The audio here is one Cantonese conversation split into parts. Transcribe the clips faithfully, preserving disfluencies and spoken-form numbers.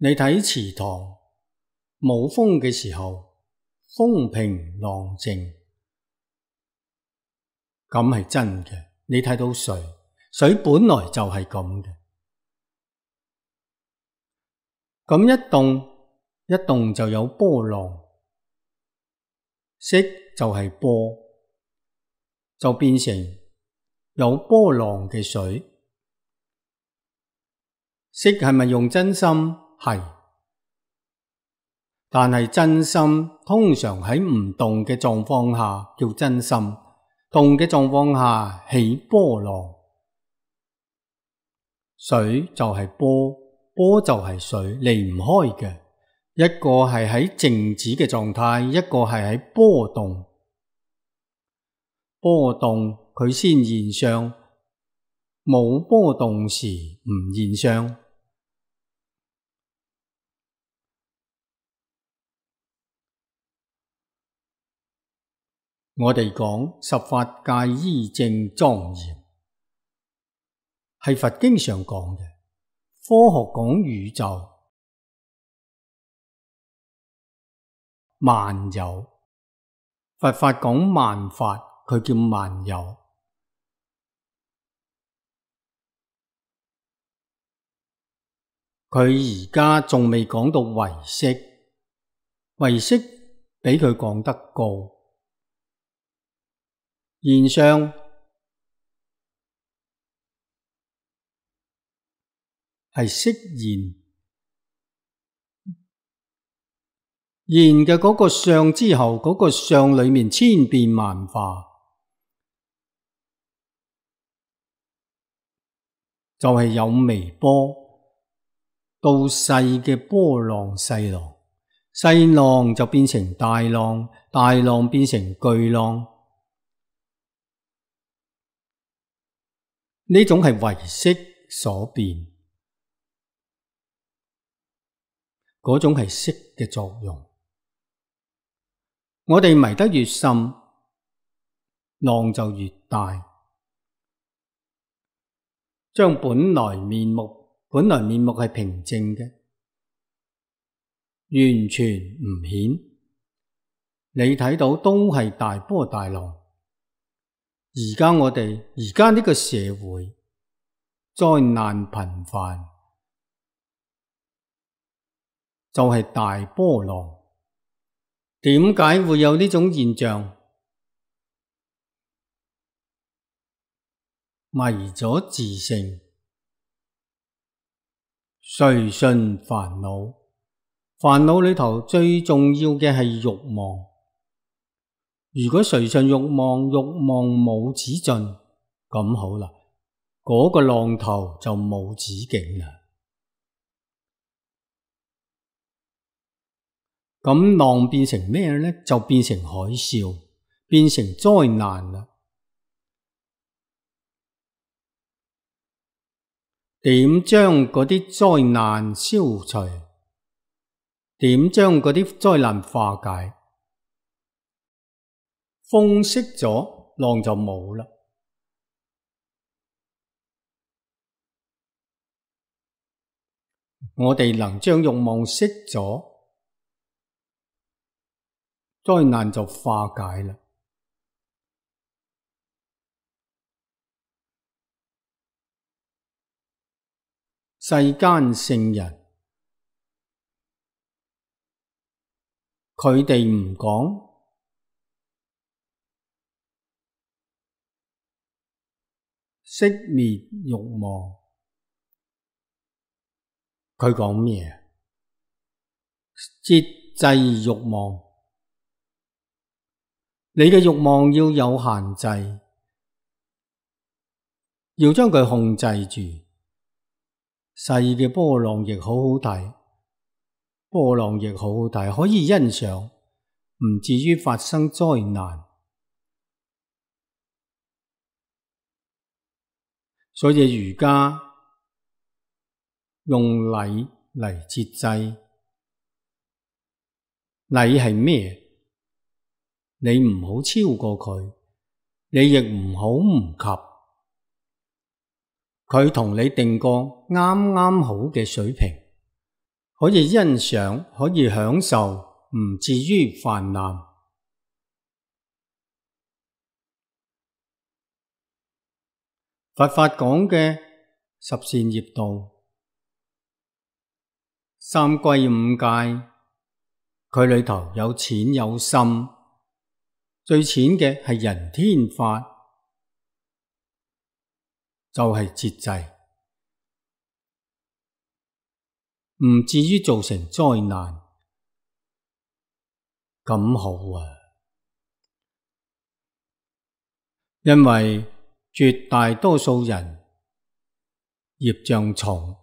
你睇池塘，冇風嘅時候，風平浪靜，咁係真嘅。你睇到水，水本來就係咁嘅。咁一動，一動就有波浪，色就係波，就變成有波浪嘅水。色係咪用真心？係。但係真心通常喺唔動嘅狀況下叫真心，動嘅狀況下起波浪。水就係波，波就係水，離唔開嘅。一個係喺靜止嘅狀態，一個係喺波動。波動佢先現象，冇波動時唔現象。我哋講十法界依正莊嚴，係佛經上講嘅。科學講宇宙萬有，佛法講萬法，佢叫萬有。佢而家仲未講到唯識，唯識比佢講得高。現象係識現，現嘅嗰個相之後，嗰個相裏面千變萬化，就係有微波到細嘅波浪細浪，細浪就變成大浪，大浪變成巨浪。呢種係唯識所變，嗰種係識嘅作用。我哋迷得越深，浪就越大。將本來面目，本來面目係平靜嘅，完全唔顯。你睇到都係大波大浪。而家我哋而家呢個社會災難頻繁，就係大波浪。點解會有呢種現象？迷咗自性，隨順煩惱。煩惱裏頭最重要嘅係慾望。如果隨順慾望，慾望冇止盡，咁好啦，嗰個浪頭就冇止境啦。咁浪變成咩呢？就變成海嘯，變成災難啦。點將嗰啲災難消除？點將嗰啲災難化解？風息咗，浪就冇啦。我哋能將慾望息咗，災難就化解啦。世間聖人，佢哋唔講熄滅慾望，佢講咩？節制慾望。你嘅慾望要有限制，要將佢控制住。細嘅波浪亦好好睇，波浪亦好好睇，可以欣賞，唔至於發生災難。所以儒家用禮嚟節制。禮係咩？你唔好超過佢，你亦唔好唔及。佢同你定個啱啱好嘅水平，可以欣賞，可以享受，唔至於泛濫。佛法講嘅十善業道、三歸五戒，佢裏頭有淺有深，最淺嘅係人天法，就係節制，唔至於造成災難，咁好啊！因為絕大多數人業障重，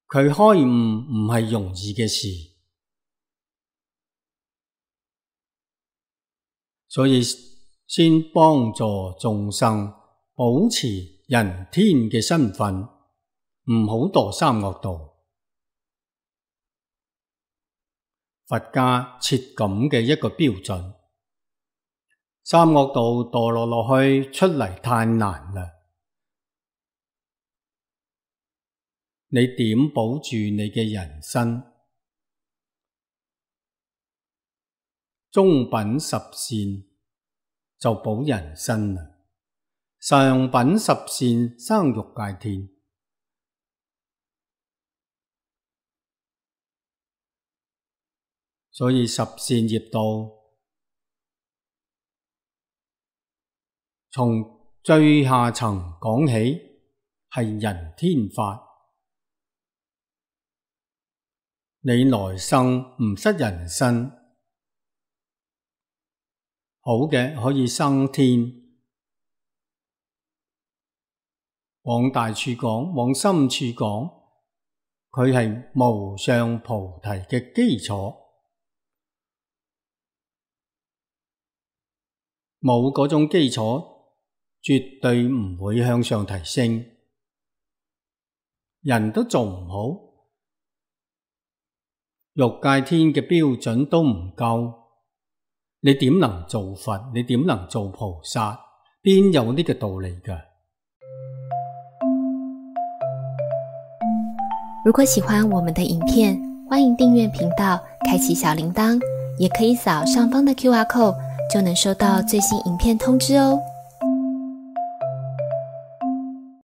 佢開悟唔係容易嘅事，所以先幫助眾生保持人天嘅身份，唔好墮三惡道。佛家設咁嘅一個標準，三惡道墮落落去出嚟太難啦。你點保住你嘅人身？中品十善就保人身啦，上品十善生欲界天。所以十善業道從最下層講起，係人天法。你來生唔失人身，好嘅可以生天。往大處講，往深處講，佢係無上菩提嘅基礎。冇嗰種基礎，絕對唔會向上提升。人都做唔好，欲界天嘅標準都唔夠，你點能做佛？你點能做菩薩？邊有呢個道理㗎？如果喜歡我們的影片，歡迎訂閱頻道，開啟小鈴鐺，也可以掃上方的 Q R code，就能收到最新影片通知哦。